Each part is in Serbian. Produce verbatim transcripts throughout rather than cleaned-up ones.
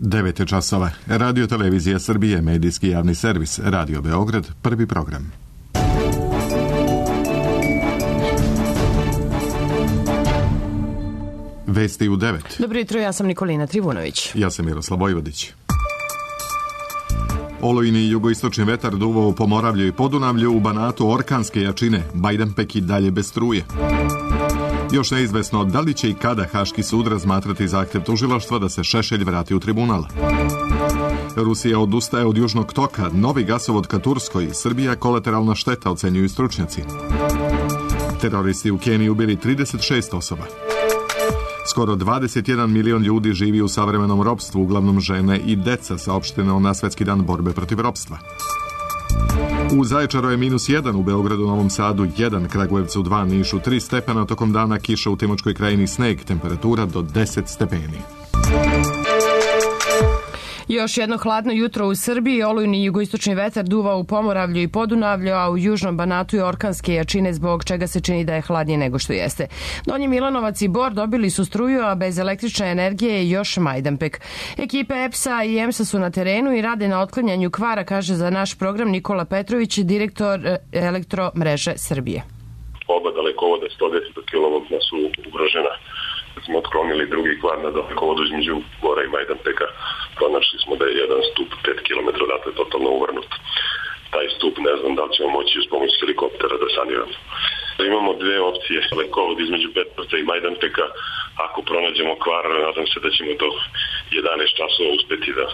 devet je časova. Radio Televizija Srbije, medijski javni servis, Radio Beograd, prvi program. Vesti u devet. Dobro jutro, ja sam Nikolina Trivunović. Ja sam Miroslav Vojvodić. Olujni jugoistočni vetar duvao u Pomoravlju i Podunavlju, u Banatu orkanske jačine, Majdanpek i dalje bez struje. Još neizvesno da li će i kada Haški sud razmatrati zahtjev tužilaštva da se Šešelj vrati u tribunal. Rusija odustaje od Južnog toka, novi gasovod ka Turskoj, Srbija kolateralna šteta, ocenjuju stručnjaci. Teroristi u Keniji ubili trideset šest osoba. Skoro dvadeset jedan milion ljudi živi u savremenom ropstvu, uglavnom žene i deca, saopšteno na Svetski dan borbe protiv ropstva. U Zaječaru je minus jedan, u Beogradu, Novom Sadu jedan, Kragujevcu dva, Nišu tri stepena, tokom dana kiša u Timočkoj krajini, sneg, temperatura do deset stepeni. Još jedno hladno jutro u Srbiji, olujni jugoistočni vetar duva u Pomoravlju i Podunavlju, a u južnom Banatu je orkanske jačine, zbog čega se čini da je hladnije nego što jeste. Donji Milanovac i Bor dobili su struju, a bez električne energije je još Majdanpek. Ekipe E P S-a i E M S-a su na terenu i rade na otklanjanju kvara, kaže za naš program Nikola Petrović, direktor Elektromreže Srbije. Oba dalekovoda sto deset kilovoltna su ugrožena. Smo otklonili drugi kvar na dalekovodu između Bora i Majdanpeka. Pronašli smo da je jedan stup pet kilometara odatle totalno uvrnut. Taj stup ne znam da li ćemo moći uz pomoć helikoptera da saniramo. Imamo dve opcije. Dalekovod između Petrovca i Majdanpeka. Ako pronađemo kvar, nadam se da ćemo do jedanaest časova uspeti da,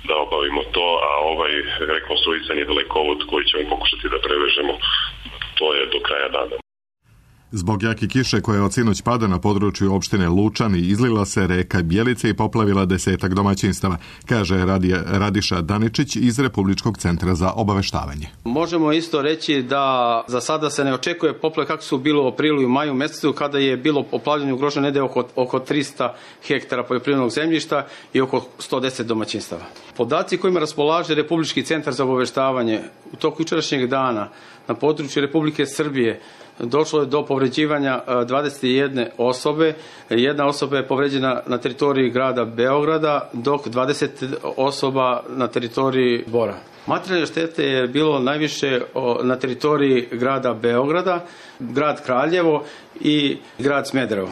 da obavimo to, a ovaj rekonstruisani dalekovod koji ćemo pokušati da prevežemo, to je do kraja dana. Zbog jake kiše koja od sinoć pada na području opštine Lučani, izlila se reka Bjelice i poplavila desetak domaćinstava, kaže Radija, Radiša Daničić iz Republičkog centra za obaveštavanje. Možemo isto reći da za sada se ne očekuje poplave kako su bilo u aprilu i maju mesecu, kada je bilo poplavljanje ugroženo negde oko, oko trista hektara poljoprivrednog zemljišta i oko sto deset domaćinstava. Podaci kojima raspolaže Republički centar za obaveštavanje u toku jučerašnjeg dana na području Republike Srbije došlo je do povređivanja dvadeset jedne osobe. Jedna osoba je povređena na teritoriji grada Beograda, dok dvadeset osoba na teritoriji Bora. Materijalne štete je bilo najviše na teritoriji grada Beograda, grad Kraljevo i grad Smederevo.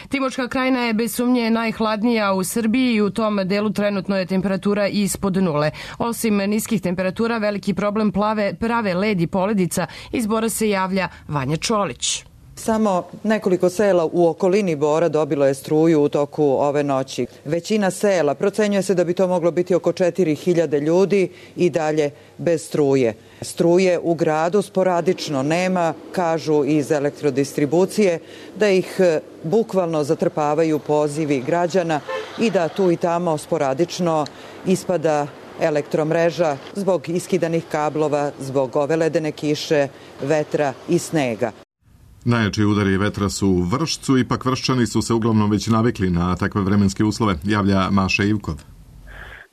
Timočka krajina je bez sumnje najhladnija u Srbiji i u tom delu trenutno je temperatura ispod nule. Osim niskih temperatura, veliki problem plave, prave led i poledica. Iz Bora se javlja Vanja Čolić. Samo nekoliko sela u okolini Bora dobilo je struju u toku ove noći. Većina sela, procenjuje se da bi to moglo biti oko četiri hiljade ljudi, i dalje bez struje. Struje u gradu sporadično nema, kažu iz elektrodistribucije, da ih bukvalno zatrpavaju pozivi građana i da tu i tamo sporadično ispada elektromreža zbog iskidanih kablova, zbog ove ledene kiše, vetra i snega. Najjači udari vetra su u Vršcu, ipak Vrščani su se uglavnom već navikli na takve vremenske uslove, javlja Maša Ivkov.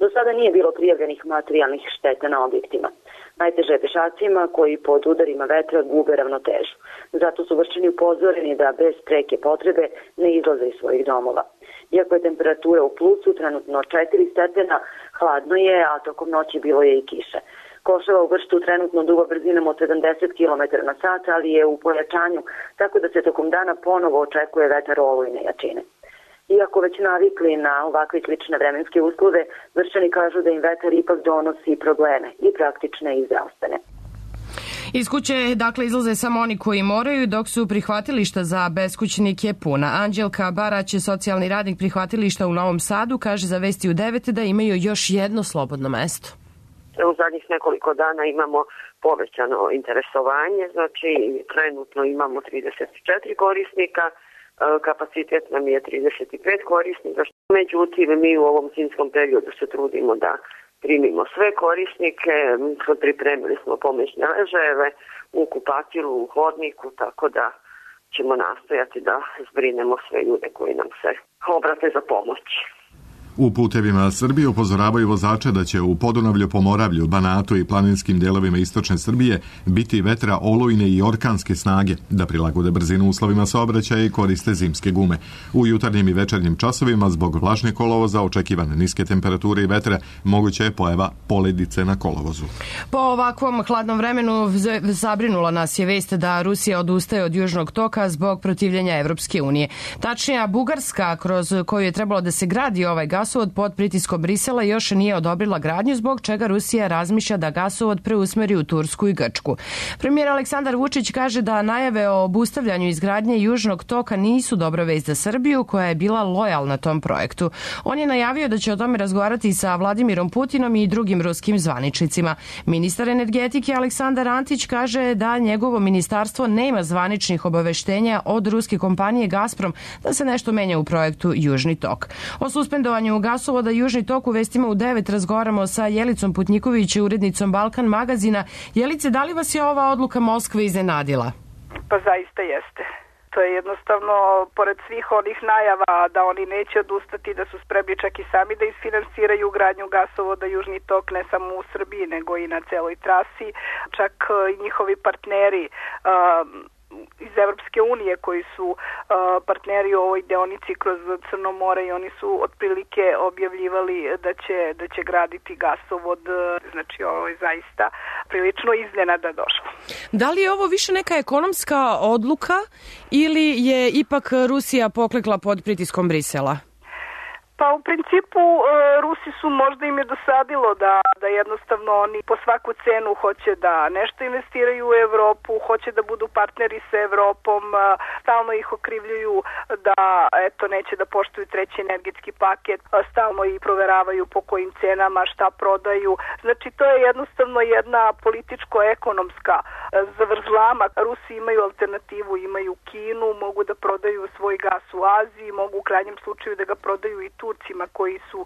Do sada nije bilo prijavljenih materijalnih šteta na objektima. Najteže je pešacima koji pod udarima vetra gube ravnotežu. Zato su Vrščani upozoreni da bez preke potrebe ne izlaze iz svojih domova. Iako je temperatura u plusu, trenutno četiri stepena, hladno je, a tokom noći bilo je i kiše. Koševa u Vršcu trenutno duva brzinom od sedamdeset kilometara na sat, ali je u pojačanju, tako da se tokom dana ponovo očekuje vetar olujne jačine. Iako već navikli na ovakve slične vremenske uslove, Vrščani kažu da im vetar ipak donosi probleme, i praktične i zdravstvene. Iz kuće, dakle, izlaze samo oni koji moraju, dok su prihvatilišta za beskućnike puna. Anđelka Barać, socijalni radnik prihvatilišta u Novom Sadu, kaže za Vesti u devet da imaju još jedno slobodno mesto. U zadnjih nekoliko dana imamo povećano interesovanje, znači trenutno imamo trideset četiri korisnika, kapacitet nam je trideset pet korisnika, međutim mi u ovom zimskom periodu se trudimo da primimo sve korisnike, pripremili smo pomoćne ležajeve u kupatilu, u hodniku, tako da ćemo nastojati da zbrinemo sve ljude koji nam se obrate za pomoć. U putevima Srbije upozoravaju vozače da će u Podunavlju, Pomoravlju, Banatu i planinskim delovima istočne Srbije biti vetra olujne i orkanske snage, da prilagode brzinu uslovima saobraćaja i koriste zimske gume. U jutarnjim i večernjim časovima zbog vlažne kolovoza, očekivane niske temperature i vetra, moguća je pojava poledice na kolovozu. Po ovakvom hladnom vremenu zabrinula nas je vest da Rusija odustaje od južnog toka zbog protivljenja Evropske unije. Tačnije, Bugarska, kroz koju je trebalo da se gradi ovaj gasovod pod pritiskom Brisela, još nije odobrila gradnju, zbog čega Rusija razmišlja da gasovod preusmeri u Tursku i Grčku. Premijer Aleksandar Vučić kaže da najave o obustavljanju izgradnje južnog toka nisu dobra vest za Srbiju, koja je bila lojalna tom projektu. On je najavio da će o tome razgovarati sa Vladimirom Putinom i drugim ruskim zvaničnicima. Ministar energetike Aleksandar Antić kaže da njegovo ministarstvo nema zvaničnih obaveštenja od ruske kompanije Gazprom da se nešto menja u projektu Južni tok. O suspendovanju gasovoda Južni tok u vestima u devet razgovaramo sa Jelicom Putniković, urednicom Balkan magazina. Jelice, da li vas je ova odluka Moskve iznenadila? Pa zaista jeste. To je jednostavno, pored svih onih najava da oni neće odustati, da su spremni čak i sami da isfinansiraju gradnju gasovoda Južni tok, ne samo u Srbiji, nego i na celoj trasi. Čak i njihovi partneri um, iz Evropske unije koji su uh, partneri u ovoj deonici kroz Crno more, i oni su otprilike objavljivali da će, da će graditi gasovod. Znači ovo je zaista prilično iznenada došlo. Da li je ovo više neka ekonomska odluka ili je ipak Rusija poklekla pod pritiskom Brisela? Pa u principu Rusi su, možda im je dosadilo da, da jednostavno oni po svaku cenu hoće da nešto investiraju u Evropu, hoće da budu partneri sa Evropom, stalno ih okrivljuju da eto neće da poštuju treći energetski paket, stalno ih proveravaju po kojim cenama, šta prodaju. Znači to je jednostavno jedna političko-ekonomska zavrzlama. Rusi imaju alternativu, imaju Kinu, mogu da prodaju svoj gas u Aziji, mogu u krajnjem slučaju da ga prodaju i Turcima, koji su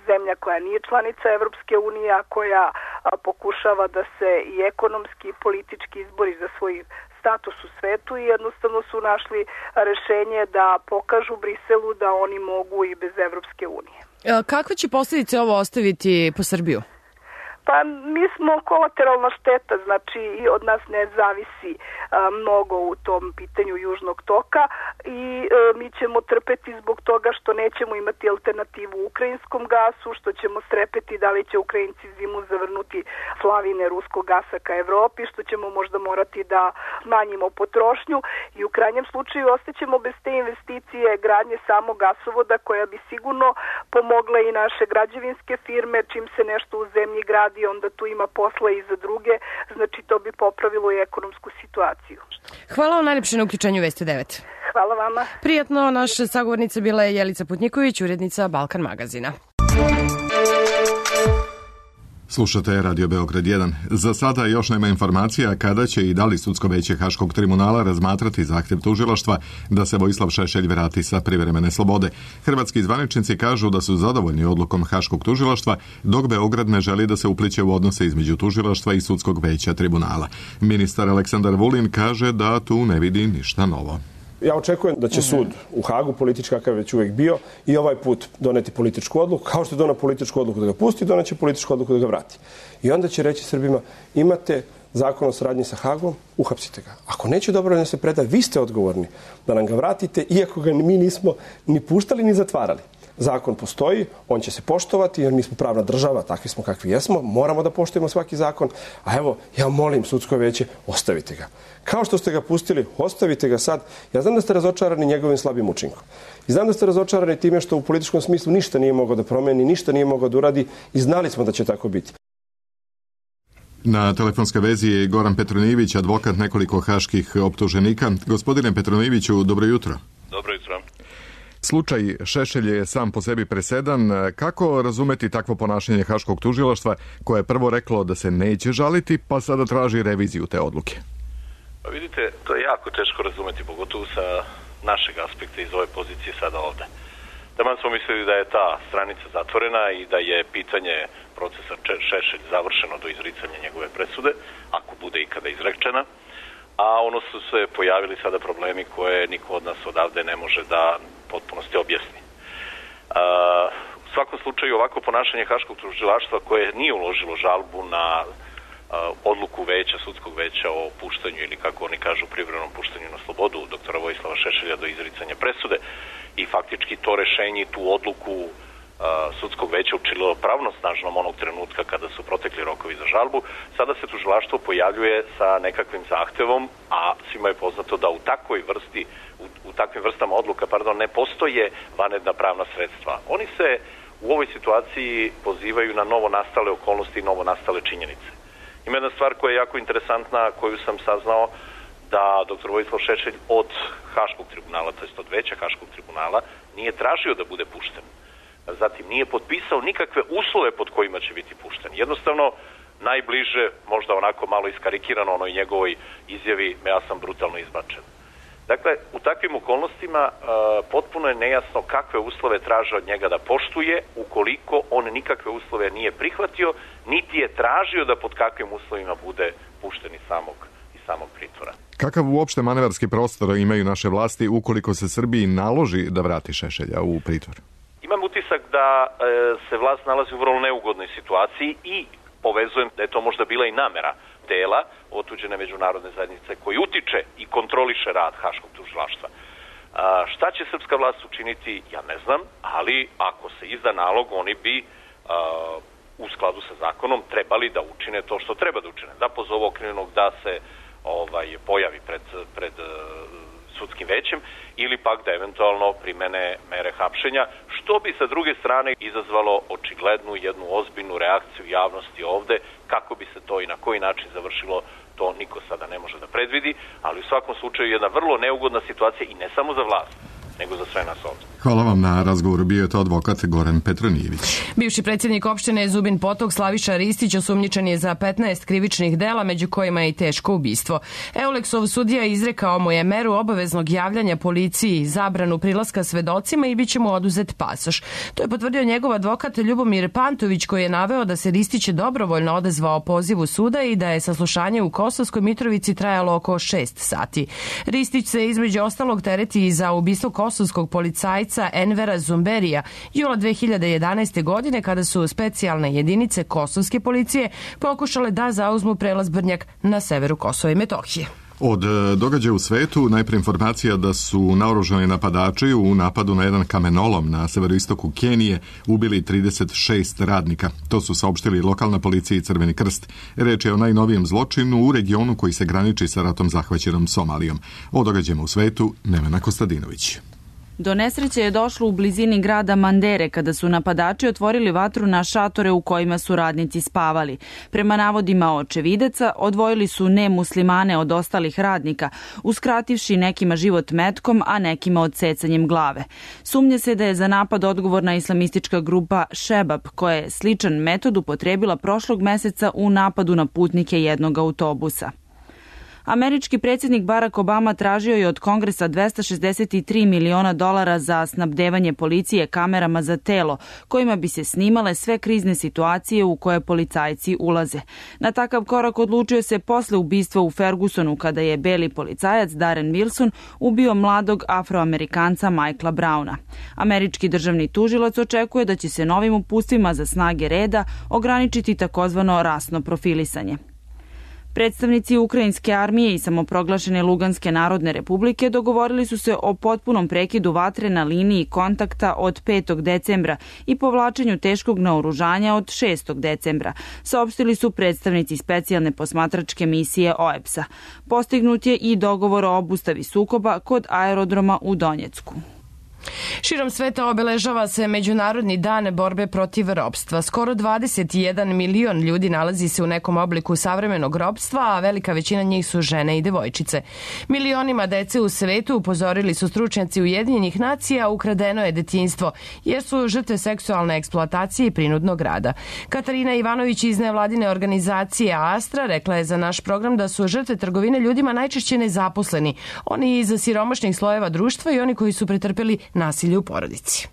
zemlja koja nije članica Evropske unije, a koja a, pokušava da se i ekonomski i politički izbori za svoj status u svetu, i jednostavno su našli rešenje da pokažu Briselu da oni mogu i bez Evropske unije. Kakve će posljedice ovo ostaviti po Srbiju? Pa mi smo kolateralna šteta, znači i od nas ne zavisi a, mnogo u tom pitanju Južnog toka, i a, mi ćemo trpeti zbog toga što nećemo imati alternativu ukrajinskom gasu, što ćemo strepeti da li će Ukrajinci zimu zavrnuti slavine ruskog gasa ka Evropi, što ćemo možda morati da smanjimo potrošnju, i u krajnjem slučaju ostaćemo bez te investicije gradnje samog gasovoda, koja bi sigurno pomogla i naše građevinske firme. Čim se nešto u zemlji gradi, i onda tu ima posla i za druge, znači to bi popravilo i ekonomsku situaciju. Hvala vam najlepše na uključenju Vesti devet. Hvala vama. Prijatno, naša sagovornica bila je Jelica Putniković, urednica Balkan magazina. Slušate Radio Beograd jedan. Za sada još nema informacija kada će i da li sudsko veće Haškog tribunala razmatrati zahtev tužilaštva da se Vojislav Šešelj vrati sa privremene slobode. Hrvatski zvaničnici kažu da su zadovoljni odlukom Haškog tužilaštva, dok Beograd ne želi da se upliće u odnose između tužilaštva i sudskog veća tribunala. Ministar Aleksandar Vulin kaže da tu ne vidi ništa novo. Ja očekujem da će sud u Hagu, politički kakav je već uvek bio, i ovaj put doneti političku odluku. Kao što je donao političku odluku da ga pusti, doneće političku odluku da ga vrati. I onda će reći Srbima, imate zakon o saradnji sa Hagom, uhapsite ga. Ako neće dobro da se preda, vi ste odgovorni da nam ga vratite, iako ga mi nismo ni puštali ni zatvarali. Zakon postoji, on će se poštovati, jer mi smo pravna država, takvi smo kakvi jesmo, moramo da poštujemo svaki zakon, a evo, ja molim sudsko veće, ostavite ga. Kao što ste ga pustili, ostavite ga sad. Ja znam da ste razočarani njegovim slabim učinkom. I znam da ste razočarani time što u političkom smislu ništa nije mogao da promeni, ništa nije mogao da uradi, i znali smo da će tako biti. Na telefonskoj vezi je Goran Petronijević, advokat nekoliko haških optuženika. Gospodine Petronijeviću, dobro jutro. Dobro jutro. Slučaj Šešelj je sam po sebi presedan. Kako razumeti takvo ponašanje Haškog tužilaštva, koje je prvo reklo da se neće žaliti, pa sada traži reviziju te odluke? Pa vidite, to je jako teško razumeti, pogotovo sa našeg aspekta iz ove pozicije sada ovde. Taman smo mislili da je ta stranica zatvorena i da je pitanje procesa Šešelj završeno do izricanja njegove presude, ako bude ikada izrečena, a ono su se pojavili sada problemi koje niko od nas odavde ne može da potpunosti objasni. svakom slučaju ovako ponašanje Haškog tužilaštva koje nije uložilo žalbu na odluku veća, sudskog veća o puštanju ili kako oni kažu privremenom puštanju na slobodu doktora Vojislava Šešelja do izricanja presude i faktički to rešenje i tu odluku sudskog veća učinilo pravnosnažnom onog trenutka kada su protekli rokovi za žalbu, sada se tužilaštvo pojavljuje sa nekakvim zahtevom, a svima je poznato da u takvoj vrsti, u, u takvim vrstama odluka, pardon, ne postoje vanredna pravna sredstva. Oni se u ovoj situaciji pozivaju na novo nastale okolnosti i novo nastale činjenice. Ima jedna stvar koja je jako interesantna, koju sam saznao, da doktor Vojislav Šešelj od Haškog tribunala, to jest od veća Haškog tribunala, nije tražio da bude pušten. Zatim nije potpisao nikakve uslove pod kojima će biti pušten. Jednostavno, najbliže, možda onako malo iskarikirano onoj njegovoj izjavi, ja sam brutalno izbačen. Dakle, u takvim okolnostima uh, potpuno je nejasno kakve uslove traže od njega da poštuje, ukoliko on nikakve uslove nije prihvatio, niti je tražio da pod kakvim uslovima bude pušten iz samog, iz samog pritvora. Kakav uopšte manevarski prostor imaju naše vlasti ukoliko se Srbiji naloži da vrati Šešelja u pritvor? Imam utisak da e, se vlast nalazi u vrlo neugodnoj situaciji i povezujem da je to možda bila i namera dela otuđene međunarodne zajednice koji utiče i kontroliše rad Haškog tužilaštva. Šta će srpska vlast učiniti, ja ne znam, ali ako se izda nalog, oni bi a, u skladu sa zakonom trebali da učine to što treba da učine. Da pozovu okrivljenog da se ovaj, pojavi pred, pred sudskim većem ili pak da eventualno primene mere hapšenja, što bi sa druge strane izazvalo očiglednu jednu ozbiljnu reakciju javnosti ovde, kako bi se to i na koji način završilo, to niko sada ne može da predvidi, ali u svakom slučaju jedna vrlo neugodna situacija i ne samo za vlast, nego za sve nas ovde. Hvala vam na razgovoru, bio je to advokat Goran Petronijević. Bivši predsjednik opštine Zubin Potok Slaviša Ristić osumnjičen je za petnaest krivičnih dela, među kojima je i teško ubistvo. Euleksov sudija izrekao mu je meru obaveznog javljanja policiji, zabranu prilaska svedocima i bit će mu oduzet pasoš. To je potvrdio njegov advokat Ljubomir Pantović, koji je naveo da se Ristić dobrovoljno odazvao pozivu suda i da je saslušanje u Kosovskoj Mitrovici trajalo oko šest sati. Ristić se između ostalog tereti i za ubistvo kosovskog policajca Envera Zumberija jula dve hiljade jedanaeste. godine, kada su specijalne jedinice kosovske policije pokušale da zauzmu prelaz Brnjak na severu Kosova i Metohije. Od događaja u svetu najpre informacija da su naoružani napadači u napadu na jedan kamenolom na severoistoku Kenije ubili trideset šest radnika. To su saopštili lokalna policija i Crveni krst. Reč je o najnovijem zločinu u regionu koji se graniči sa ratom zahvaćenom Somalijom. O događajima u svetu Nevena Kostadinović. Do nesreće je došlo u blizini grada Mandere kada su napadači otvorili vatru na šatore u kojima su radnici spavali. Prema navodima očevidaca, odvojili su nemuslimane od ostalih radnika, uskrativši nekima život metkom, a nekima odsecanjem glave. Sumnja se da je za napad odgovorna islamistička grupa Šebab, koja je sličan metod upotrebila prošlog meseca u napadu na putnike jednog autobusa. Američki predsjednik Barack Obama tražio je od Kongresa dvesta šezdeset tri miliona dolara za snabdevanje policije kamerama za telo, kojima bi se snimale sve krizne situacije u koje policajci ulaze. Na takav korak odlučio se posle ubistva u Fergusonu, kada je beli policajac Darren Wilson ubio mladog Afroamerikanca Michaela Browna. Američki državni tužilac očekuje da će se novim upustvima za snage reda ograničiti takozvano rasno profilisanje. Predstavnici ukrajinske armije i samoproglašene Luganske narodne republike dogovorili su se o potpunom prekidu vatre na liniji kontakta od petog decembra i povlačenju teškog naoružanja od šestog decembra, saopštili su predstavnici specijalne posmatračke misije O E B S-a. Postignut je i dogovor o obustavi sukoba kod aerodroma u Donjecku. Širom sveta obeležava se Međunarodni dan borbe protiv ropstva. Skoro dvadeset jedan milion ljudi nalazi se u nekom obliku savremenog ropstva, a velika većina njih su žene i devojčice. Milionima dece u svetu, upozorili su stručnjaci Ujedinjenih nacija, ukradeno je detinjstvo, jer su žrtve seksualne eksploatacije i prinudnog rada. Katarina Ivanović iz nevladine organizacije Astra rekla je za naš program da su žrtve trgovine ljudima najčešće nezaposleni, oni iz siromašnih slojeva društva i oni koji su pretrpeli nasilje u porodici.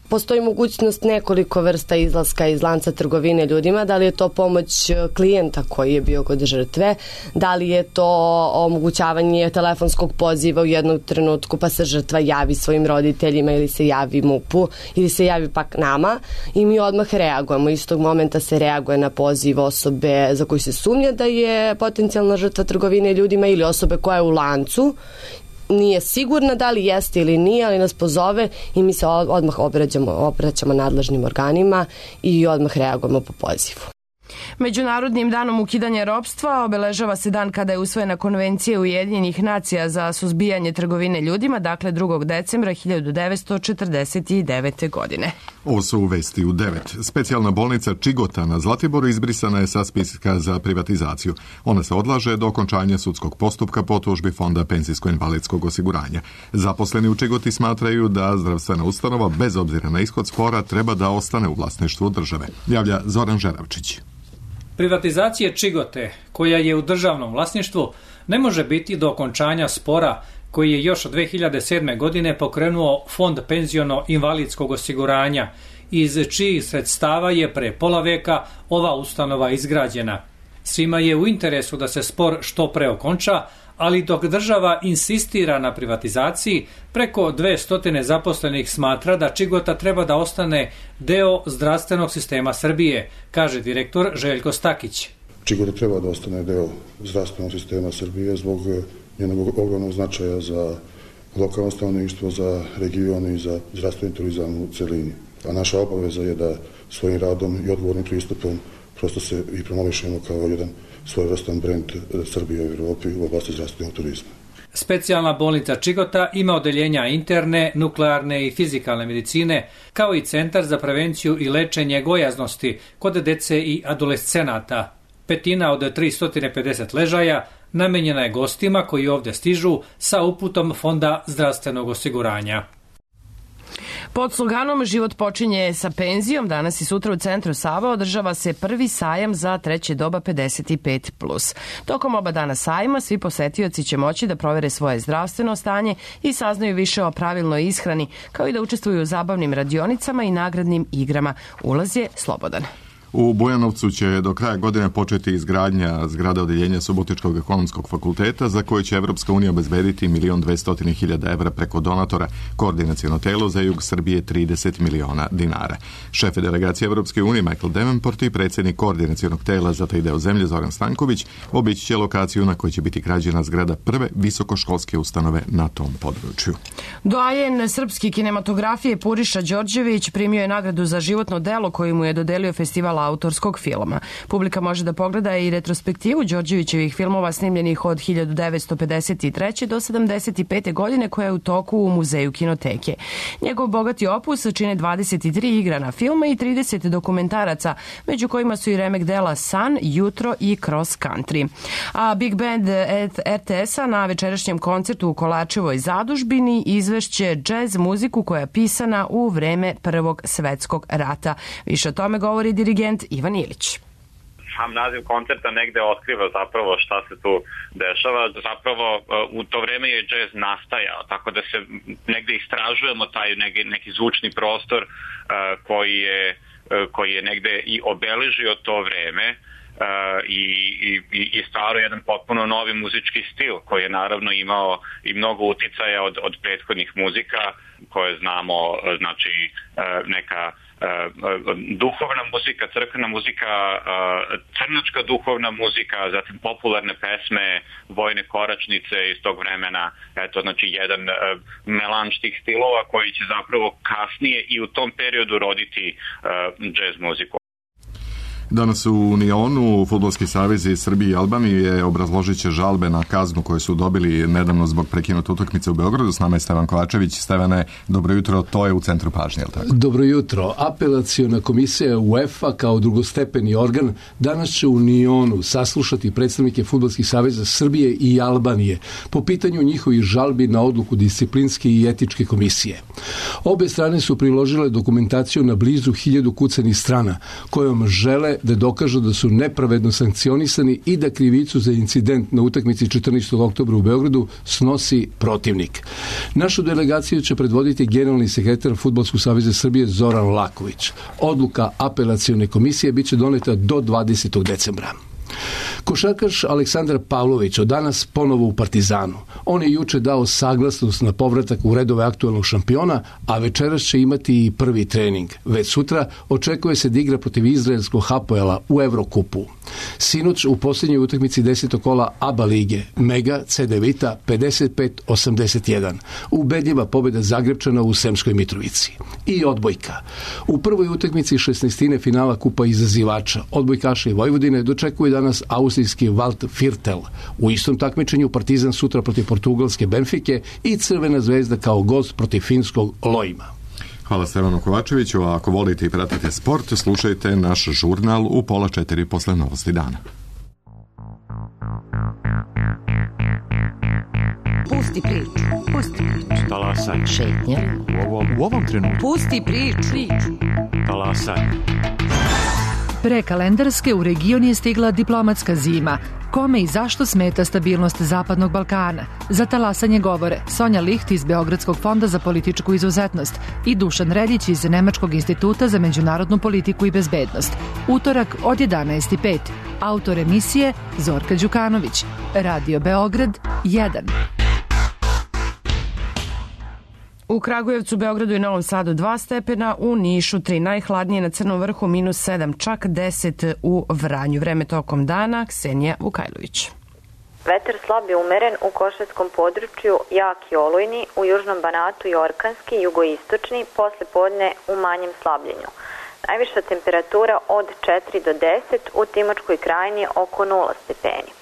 Postoji mogućnost nekoliko vrsta izlaska iz lanca trgovine ljudima, da li je to pomoć klijenta koji je bio kod žrtve, da li je to omogućavanje telefonskog poziva u jednom trenutku pa se žrtva javi svojim roditeljima ili se javi MUP-u ili se javi pak nama i mi odmah reagujemo. Istog momenta se reaguje na poziv osobe za koju se sumnja da je potencijalna žrtva trgovine ljudima ili osobe koja je u lancu. Nije sigurna da li jeste ili nije, ali nas pozove i mi se odmah obraćamo, obraćamo nadležnim organima i odmah reagujemo po pozivu. Međunarodnim danom ukidanja ropstva obeležava se dan kada je usvojena Konvencija Ujedinjenih nacija za suzbijanje trgovine ljudima, dakle drugog decembra hiljadu devetsto četrdeset devete. godine. Ovo su vesti u devet. Specijalna bolnica Čigota na Zlatiboru izbrisana je sa spiska za privatizaciju. Ona se odlaže do okončanja sudskog postupka po tužbi Fonda penzijsko-invalidskog osiguranja. Zaposleni u Čigoti smatraju da zdravstvena ustanova, bez obzira na ishod spora, treba da ostane u vlasništvu države. Javlja Zoran Žeravčić. Privatizacije Čigote, koja je u državnom vlasništvu, ne može biti do okončanja spora koji je još od dve hiljade sedme. godine pokrenuo Fond penziono-invalidskog osiguranja, iz čijih sredstava je pre pola veka ova ustanova izgrađena. Svima je u interesu da se spor što pre okonča, ali dok država insistira na privatizaciji, preko dvesta zaposlenih smatra da Čigota treba da ostane deo zdravstvenog sistema Srbije, kaže direktor Željko Stakić. Čigota treba da ostane deo zdravstvenog sistema Srbije zbog njenog ogromnog značaja za lokalno stanovništvo, za region i za zdravstveni turizam u celini. A naša obaveza je da svojim radom i odgovornim pristupom prosto se i promovišemo kao jedan svojevrstan brend Srbije u Evropi u oblasti zdravstvenog turizma. Specijalna bolnica Čigota ima odeljenja interne, nuklearne i fizikalne medicine, kao i centar za prevenciju i lečenje gojaznosti kod dece i adolescenata. Petina od tristo pedeset ležaja namenjena je gostima koji ovde stižu sa uputom Fonda zdravstvenog osiguranja. Pod sloganom Život počinje sa penzijom, danas i sutra u centru Sava održava se prvi sajam za treće doba pedeset pet plus. Tokom oba dana sajma svi posetioci će moći da provere svoje zdravstveno stanje i saznaju više o pravilnoj ishrani, kao i da učestvuju u zabavnim radionicama i nagradnim igrama. Ulaz je slobodan. U Bujanovcu će do kraja godine početi izgradnja zgrada odeljenja Subotičkog ekonomskog fakulteta za koje će Evropska unija obezbediti milion dvesta hiljada evra preko donatora, koordinaciono telo za jug Srbije trideset miliona dinara. Šef delegacije Evropske unije Michael Davenport i predsjednik koordinacionog tela za taj deo zemlje Zoran Stanković obići će lokaciju na kojoj će biti građena zgrada prve visokoškolske ustanove na tom području. Doajen srpski kinematografije Puriša Đorđević primio je nagradu za životno delo koju mu je dodelio festival autorskog filma. Publika može da pogleda i retrospektivu Đorđevićevih filmova snimljenih od hiljadu devetsto pedeset treće. do sedamdeset pete. godine koja je u toku u Muzeju kinoteke. Njegov bogati opus čine dvadeset tri igrana filma i trideset dokumentaraca, među kojima su i remek dela San, Jutro i Cross Country. A Big Band R T S-a na večerašnjem koncertu u Kolačevoj zadužbini izvešće džez muziku koja je pisana u vreme Prvog svetskog rata. Više o tome govori dirigent Ivan Ilić. Sam naziv koncerta negde otkriva zapravo šta se tu dešava. Zapravo u to vreme je džez nastajao, tako da se negde istražujemo taj neki, neki zvučni prostor uh, koji, je, uh, koji je negde i obeležio to vreme uh, i, i, i stvarao jedan potpuno novi muzički stil koji je naravno imao i mnogo uticaja od, od prethodnih muzika koje znamo, znači uh, neka duhovna muzika, crkvena muzika, crnačka duhovna muzika, zatim popularne pesme, vojne koračnice iz tog vremena, eto, znači jedan melanž tih stilova koji će zapravo kasnije i u tom periodu roditi džez muziku. Danas u Unionu Fudbalski savez iz Srbije i Albanije obrazložit će žalbe na kaznu koje su dobili nedavno zbog prekinute utakmice u Beogradu. S nama je Stevan Kovačević. Stevane, dobro jutro, to je u centru pažnje, je li tako? Dobro jutro. Apelaciona komisija UEFA kao drugostepeni organ danas će u Unionu saslušati predstavnike Fudbalskih saveza Srbije i Albanije po pitanju njihovih žalbi na odluku disciplinske i etičke komisije. Obe strane su priložile dokumentaciju na blizu hiljadu kucanih strana kojom žele da dokažu da su nepravedno sankcionisani i da krivicu za incident na utakmici četrnaestog oktobra u Beogradu snosi protivnik. Našu delegaciju će predvoditi generalni sekretar Fudbalskog saveza Srbije Zoran Laković. Odluka apelacione komisije biće doneta do dvadesetog decembra. Košarkaš Aleksandar Pavlović od danas ponovo u Partizanu. On je juče dao saglasnost na povratak u redove aktualnog šampiona, a večeras će imati i prvi trening. Već sutra očekuje se da igra protiv izraelskog Hapoela u Evrokupu. Sinoć u posljednjoj utakmici desetog kola ABA lige Mega C D Vita pedeset pet osamdeset jedan. Ubedljiva pobjeda Zagrebčana u Sremskoj Mitrovici. I odbojka. U prvoj utakmici šesnaestine finala Kupa izazivača odbojkaša i Vojvodine dočekuje danas austrijski Walt Firtel. U istom takmičenju Partizan sutra protiv portugalske Benfike i Crvena zvezda kao gost protiv finskog Lojima. Hvala Stevanu Kovačeviću, a ako volite i pratite sport, slušajte naš žurnal u pola četiri posle novosti dana. Pusti priču, pusti priču. Talasaj. Šetnja. U ovom, u ovom trenutku. Pusti priču. priču. Talasaj. Pre kalendarske u region je stigla diplomatska zima. Kome i zašto smeta stabilnost Zapadnog Balkana? Za talasanje govore Sonja Licht iz Beogradskog fonda za političku izuzetnost i Dušan Redić iz Nemačkog instituta za međunarodnu politiku i bezbednost. Utorak od jedanaest i pet. Autor emisije Zorka Đukanović. Radio Beograd jedan. U Kragujevcu, Beogradu i Novom Sadu dva stepena, u Nišu tri, najhladnije na Crnom vrhu minus sedam, čak deset u Vranju. Vreme tokom dana, Ksenija Vukajlović. Vetar slab je umeren u Košarskom području, jak i olujni, u Južnom Banatu i orkanski, jugoistočni, posle podne u manjem slabljenju. Najviša temperatura od četiri do deset, u Timočkoj krajini oko nula stepeni.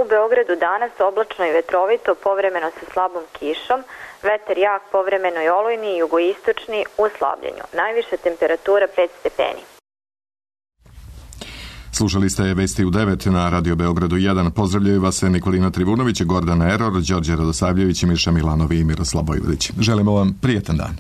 U Beogradu danas oblačno i vetrovito, povremeno sa slabom kišom, vetar jak, povremeno i olujni i jugoistočni u slabljenju. Najviša temperatura pet stepeni. Slušali ste Vesti u devet na Radio Beogradu jedan. Pozdravljaju vas Nikolina Trivunović, Gordana Eror, Đorđe Radosavljević, Miša Milanovi i Miroslav Vojvodić. Želimo vam prijetan dan.